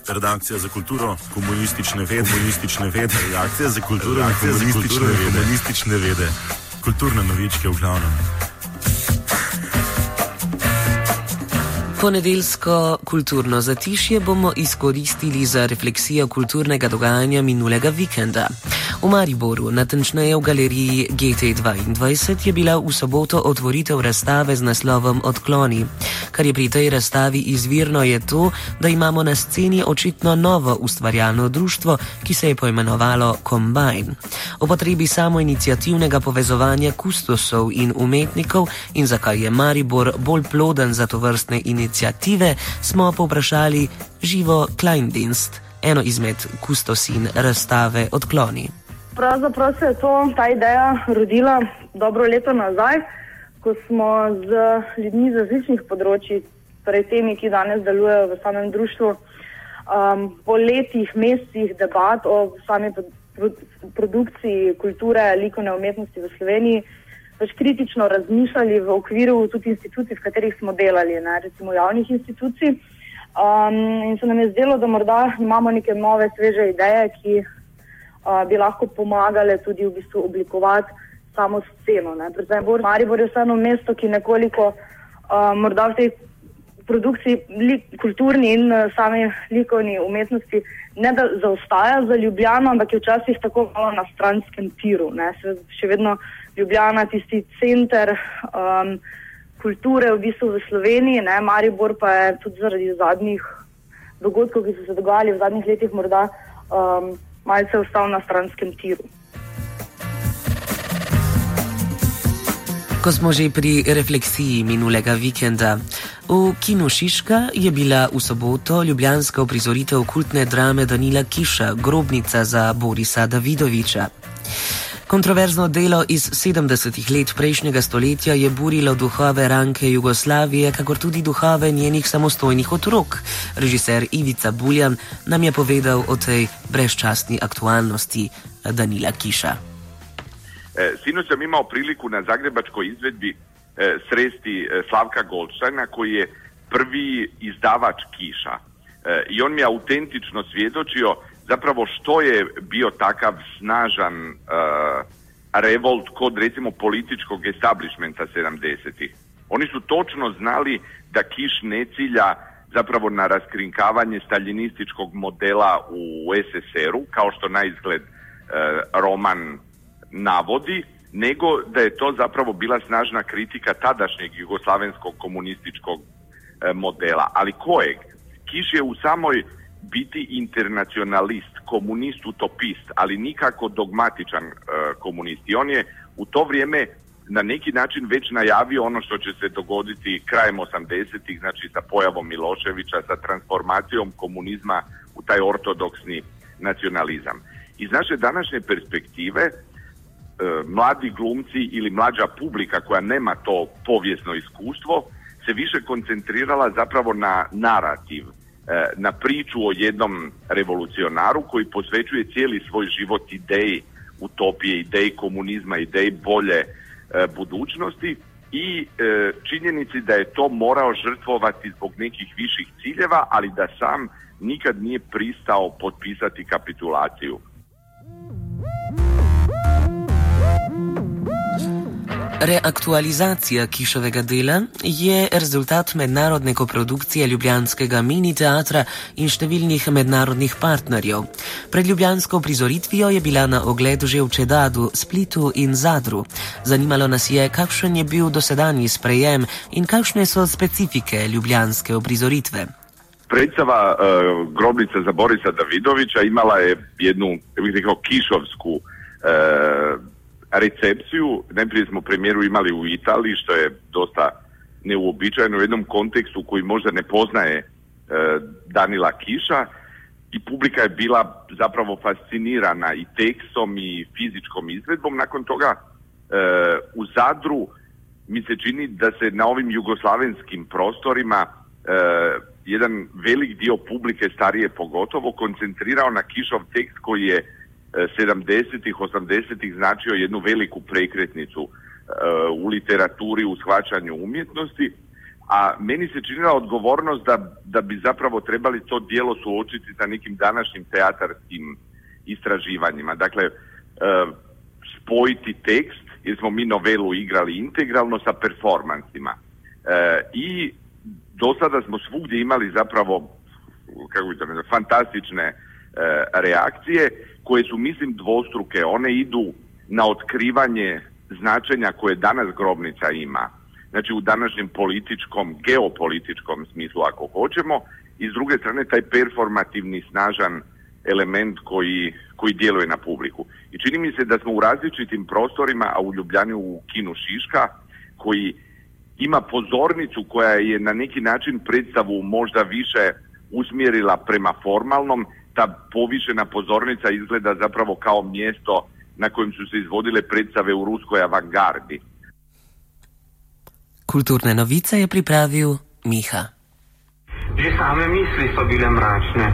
Redakcija za kulturo, komunistične vede, redakcija za kulturo, komunistične vede, kulturne novičke v glavnem. Ponedeljsko kulturno zatišje bomo izkoristili za refleksijo kulturnega dogajanja minulega vikenda. V Mariboru, natančneje v galeriji GT22, je bila v soboto otvoritev razstave z naslovom Odkloni. Kar je pri tej razstavi izvirno, je to, da imamo na sceni očitno novo ustvarjalno društvo, ki se je poimenovalo Combine. O potrebi samoiniciativnega povezovanja kustosov in umetnikov in zakaj je Maribor bolj ploden za tovrstne iniciative, smo povprašali Živo Kleindienst, eno izmed kustosin razstave Odkloni. Pravzaprav se je ta ideja rodila dobro leto nazaj, ko smo z ljudmi z različnih področji, torej temi, ki danes delujejo v samem društvu, po letih, mesecih debat o sami produkciji kulture, likovne umetnosti v Sloveniji, pač kritično razmišljali v okviru tudi institucij, v katerih smo delali, recimo javnih institucij. In se nam je zdelo, da morda imamo neke nove, sveže ideje, ki bi lahko pomagale tudi v bistvu oblikovati samo sceno. Predvsem Maribor je vseeno mesto, ki nekoliko morda v tej produkciji kulturni in sami likovni umetnosti ne da zaostaja za Ljubljano, ampak je včasih tako malo na stranskem tiru. Še vedno Ljubljana tisti center kulture v bistvu v Sloveniji, Maribor pa je tudi zaradi zadnjih dogodkov, ki so se dogajali v zadnjih letih, morda malce ostal na stranskem tiru. Ko smo že pri refleksiji minulega vikenda, v Kinu Šiška je bila v soboto ljubljanska uprizoritev kultne drame Danila Kiša, Grobnica za Borisa Davidoviča. Kontroverzno delo iz 70. let prejšnjega stoletja je burilo duhove ranke Jugoslavije, kakor tudi duhove njenih samostojnih otrok. Režiser Ivica Buljan nam je povedal o tej brezčasni aktualnosti Danila Kiša. Sinoć sam imao priliku na zagrebačkoj izvedbi sresti Slavka Goldsteina, koji je prvi izdavač Kiša. I on mi je autentično svjedočio zapravo što je bio takav snažan revolt kod recimo političkog establishmenta 70-ih. Oni su točno znali da Kiš ne cilja zapravo na raskrinkavanje staljinističkog modela u SSR-u, kao što na izgled roman navodi, nego da je to zapravo bila snažna kritika tadašnjeg jugoslavenskog komunističkog modela. Ali kojeg? Kiš je u samoj biti internacionalist, komunist, utopist, ali nikako dogmatičan komunist. I on je u to vrijeme na neki način već najavio ono što će se dogoditi krajem 80-ih, znači sa pojavom Miloševića, sa transformacijom komunizma u taj ortodoksni nacionalizam. Iz naše današnje perspektive, mladi glumci ili mlađa publika koja nema to povijesno iskustvo se više koncentrirala zapravo na narativ, na priču o jednom revolucionaru koji posvećuje cijeli svoj život ideji utopije, ideji komunizma, ideji bolje budućnosti i činjenici da je to morao žrtvovati zbog nekih viših ciljeva, ali da sam nikad nije pristao potpisati kapitulaciju. Reaktualizacija Kišovega dela je rezultat mednarodne koprodukcije ljubljanskega mini teatra in številnih mednarodnih partnerjev. Pred ljubljansko prizoritvijo je bila na ogled že v Čedadu, Splitu in Zadru. Zanimalo nas je, kakšen je bil dosedanji sprejem in kakšne so specifike ljubljanske uprizoritve. Predstava Grobnica za Borisa Davidovića imala je jednu, bih rekao, kišovsku recepciju. Najprije smo premijeru imali u Italiji, što je dosta neuobičajeno u jednom kontekstu koji možda ne poznaje Danila Kiša, i publika je bila zapravo fascinirana i tekstom i fizičkom izvedbom. Nakon toga u Zadru mi se čini da se na ovim jugoslavenskim prostorima jedan velik dio publike, starije pogotovo, koncentrirao na Kišov tekst koji je 70-ih, 80-ih značio jednu veliku prekretnicu u literaturi, u shvaćanju umjetnosti, a meni se činila odgovornost da bi zapravo trebali to djelo suočiti sa nekim današnjim teatarskim istraživanjima. Dakle, spojiti tekst, jer smo mi novelu igrali integralno sa performansima. I do sada smo svugdje imali zapravo fantastične reakcije koje su, mislim, dvostruke. One idu na otkrivanje značenja koje danas grobnica ima. Znači u današnjem političkom, geopolitičkom smislu ako hoćemo, i s druge strane taj performativni snažan element koji djeluje na publiku. I čini mi se da smo u različitim prostorima, a u Ljubljani u kinu Šiška, koji ima pozornicu koja je na neki način predstavu možda više usmjerila prema formalnom, ta povišena pozornica izgleda zapravo kao mjesto na kojem su se izvodile predstave u ruskoj avangardi. Kulturne novice je pripravil Miha. Že same misli so bile mračne.